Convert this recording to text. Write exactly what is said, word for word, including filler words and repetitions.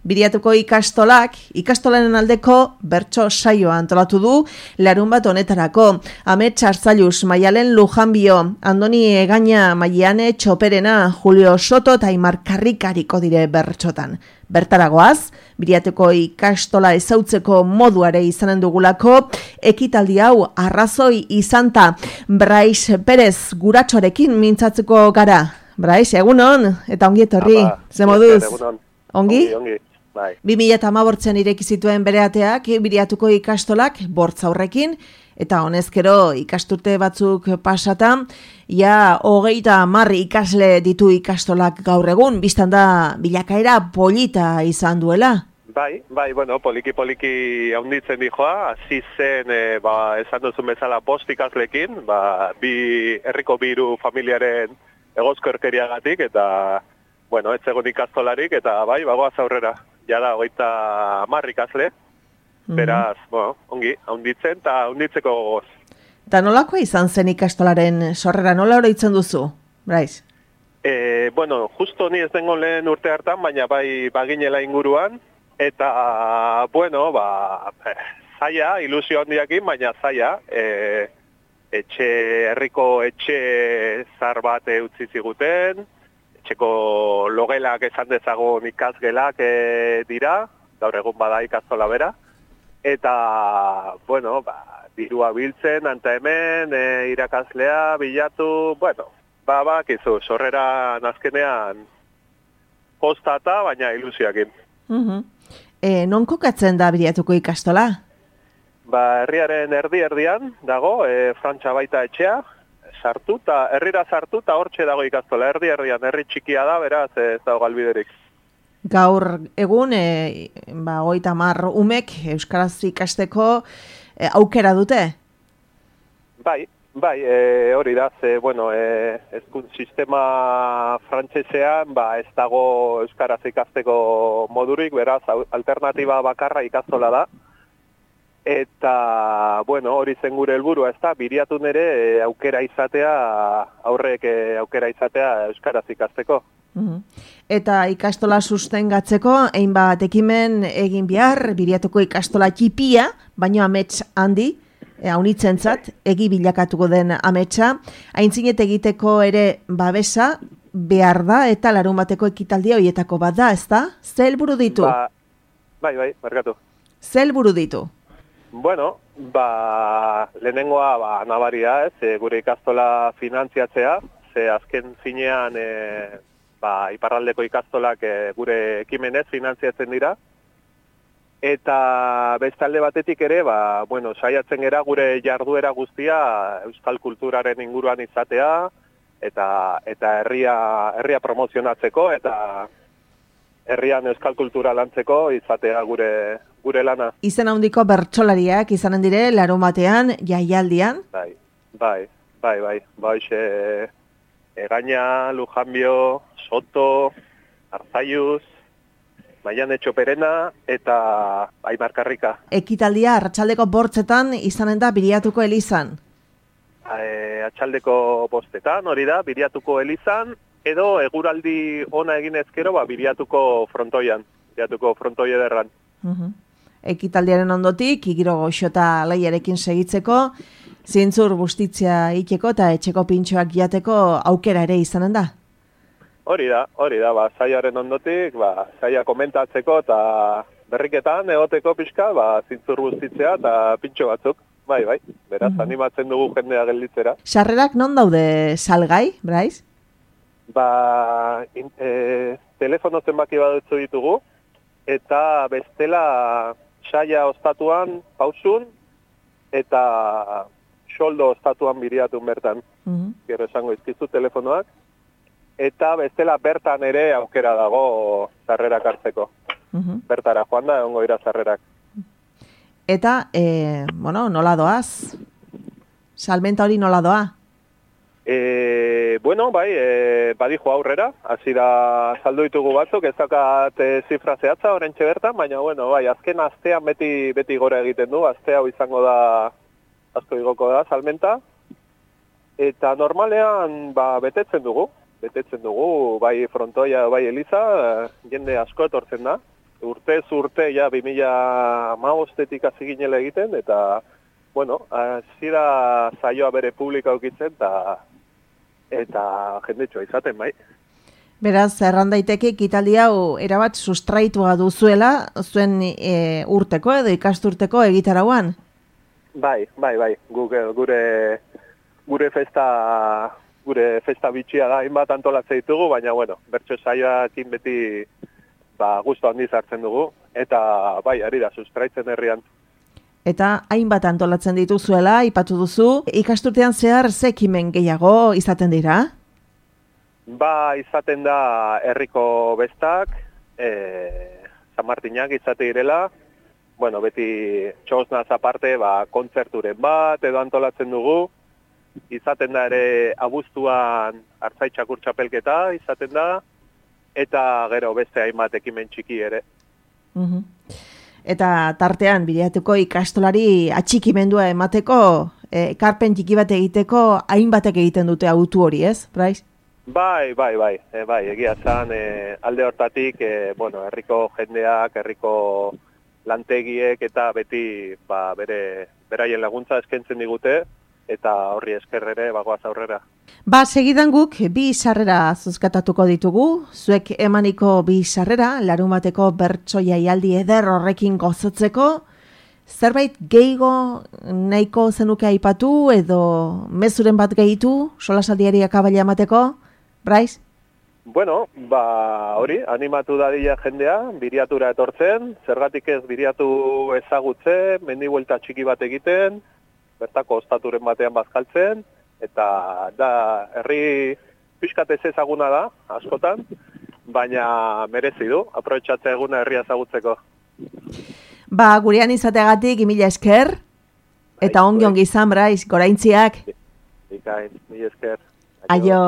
Biriatuko ikastolak, ikastolaren aldeko bertso saioa antolatu du larun bat honetarako. Amets Arzailuz, Maialen Lujanbio, Andoni Egaña, Maiane Txoperena, Julio Soto eta Aimar Karrikariko dire bertsotan. Bertaragoaz, Biriatuko ikastola ezautzeko moduare izanen dugulako, ekitaldi hau arrazoi izanta. Brais Perez guratxorekin mintzatzeko gara. Brais, egunon, eta ongi etorri, ze moduz? Ongi? Ongi, ongi. Bai. bi mila hamabostean ireki zituen bere ateak, Biriatuko ikastolak bortz aurrekin, eta honezkero ikasturte batzuk pasata, ja hogeita hamar ikasle ditu ikastolak gaur egun, biztan da bilakaera polita izan duela. Bai, bai, bueno, poliki-poliki haunditzen dijoa, hasi zen, e, ba, esan duzun bezala bost ikaslekin, ba, bi herriko biru familiaren egozkorkeriagatik, eta, bueno, ez egon ikastolarik, eta bai, bagoaz aurrera. Jada, hogeita hamar ikasle, beraz, mm-hmm. bueno, ongi, haunditzen, eta haunditzeko gogoz. Eta nolakoa izan zen ikastolaren sorrera, nola oroitzen duzu, Brais? E, bueno, justo ni ez dengo lehen urte hartan, baina bai baginela inguruan, eta, bueno, ba, zaila, ilusio handiakin, baina zaila, e, etxe, herriko etxe zar bat utzi ziguten, etxeko logelak esan dezagun ikasgelak e, dira, gaur egun bada ikastola bera, eta, bueno, ba, dirua biltzen, anta hemen, e, irakaslea, bilatu, bueno, ba, bakizu, sorrera nazkenean kostata, baina ilusioakin. Uh-huh. E, non kokatzen da Biriatuko ikastola? Ba, herriaren erdi-erdian dago, e, Frantxa baita etxea, sartu, eta herrira sartu, eta hortxe dago ikastola, erdi-erdian, herri txikia da, beraz, ez dago galbiderik. Gaur egun, e, ba, hogeita hamar umek euskaraz ikasteko e, aukera dute? Bai, bai, e, hori da, ze, bueno, e, ezkunt sistema frantsesean, ba, ez dago euskaraz ikasteko modurik, beraz, alternatiba bakarra ikastola da. Eta, bueno, hori zen gure helburua, ez da, Biriatun ere e, aukera izatea, aurrek e, aukera izatea euskaraz ikasteko. Uh-huh. Eta ikastola sustengatzeko, hainbat ekimen egin behar, Biriatuko ikastola txipia, baino amets handi, e, haunitzentzat, egi bilakatuko den ametsa, aintzinet egiteko ere babesa behar da, eta larun bateko ekitaldia horietako bat da, ez da? Ze helburu ditu? Ba, bai, bai, barkatu. Ze helburu ditu? Bueno, ba, lehenengoa ba, nabaria, ez, e, gure ikastola finantziatzea, ze azken finean e, ba, iparraldeko ikastolak e, gure ekimenez finantziatzen dira, eta beste alde batetik ere, ba, bueno, saiatzen gera gure jarduera guztia euskal kulturaren inguruan izatea, eta, eta herria, herria promozionatzeko, eta herrian euskal kultura lantzeko izatea gure gure lana. Izen handiko bertsolariak izanen dire larun batean, jaialdian? Bai, bai, bai, bai. Baixe, Egaña, Lujanbio, Soto, Arzailuz, Maiane Txoperena eta Aimar Karrika. Ekitaldia arratsaldeko bortzetan izanen da Biriatuko elizan? E, atxaldeko bostetan, hori da, Biriatuko elizan, edo eguraldi ona egin ezkero, ba, Biriatuko frontoian, Biriatuko frontoi ederran. Uh-huh. Ekitaldiaren ondotik, igiro goxota laiarekin segitzeko, zintzur bustitzea iteko eta etxeko pintxoak jateko aukera ere izanen da? Hori da, hori da, ba, zaiaren ondotik, ba, zaia komentatzeko eta berriketan egoteko pixka, ba, zintzur bustitzea eta pintxo batzuk, bai, bai, beraz, uh-huh. animatzen dugu jendea gelditzera. Sarrerak non daude salgai, Brais? Ba, in, e, telefono zenbaki badutzu ditugu, eta bestela saia ostatuan pausun, eta xoldo ostatuan Biriatun bertan. Uh-huh. Gero esango izkizu telefonoak. Eta bestela bertan ere aukera dago sarrerak hartzeko. Uh-huh. Bertara joan da, egongo dira sarrerak. Eta, e, bueno, nola doaz? Salmenta hori nola doa? E, bueno, bai, e, badijo aurrera, hasi da saldu ditugu batzuk, ez dakat e, zifra zehatza orentxe bertan, baina, bueno, bai, azken astean beti beti gora egiten du, aste hau izango da, asko igoko da, salmenta, eta normalean, ba, betetzen dugu, betetzen dugu, bai frontoia, bai eliza, jende asko etortzen da, urtez urte, ja, bi mila hamabostetik hasi ginela egiten, eta, bueno, hasiera saioa bere publika ukitzen, eta, eta jendetsua izaten, bai. Beraz, erran daiteke ekitaldi hau erabat sustraitua duzuela, zuen e, urteko edo ikasturteko egitarauan? Bai, bai, bai, gure, gure, gure festa... gure festa bitxia da, hainbat antolatzen ditugu, baina, bueno, bertso saioakin beti ba, gustu handiz hartzen dugu, eta bai, ari da, sustraitzen herrian. Eta hainbat antolatzen dituzuela, ipatu duzu, ikasturtean zehar ze ekimen gehiago izaten dira? Ba, izaten da herriko bestak, e, San Martinak izate direla, bueno, beti txosnaz aparte, ba, kontzerturen bat edo antolatzen dugu, izaten da ere abuztuan Artzai txakur txapelketa izaten da, eta gero beste hainbat ekimen txiki ere. Uhum. Eta tartean, bideatuko ikastolari atxikimendua emateko, eh, ekarpen txiki bat egiteko, hainbatek egiten dute autu hori, ez, Brais? Bai, bai, bai, e, bai, egia zan, e, alde hortatik, e, bueno, herriko jendeak, herriko lantegiek, eta beti, ba, bere, beraien laguntza eskaintzen digute, eta horri eskerrere bagoaz aurrera. Ba, segidan guk bi sarrera zuzkatatuko ditugu, zuek emaniko bi sarrera, larunbateko bertso jaialdi eder horrekin gozatzeko, zerbait gehigo nahiko zenuke aipatu edo mezuren bat gehitu, solasaldiari akabaila emateko, Brais? Bueno, ba, hori, animatu dadila jendea, biriatura etortzen, zergatik ez biriatu ezagutzen, mendi buelta txiki bat egiten, bertako ostaturen batean bazkaltzen, eta da, herri pixkat ez ezaguna da, askotan, baina merezi du, aprobetxatzea eguna herria ezagutzeko. Ba, gurean izateagatik mila esker, eta ongi ongi izan, Brais, goraintziak. Ikain, mila esker. Aio.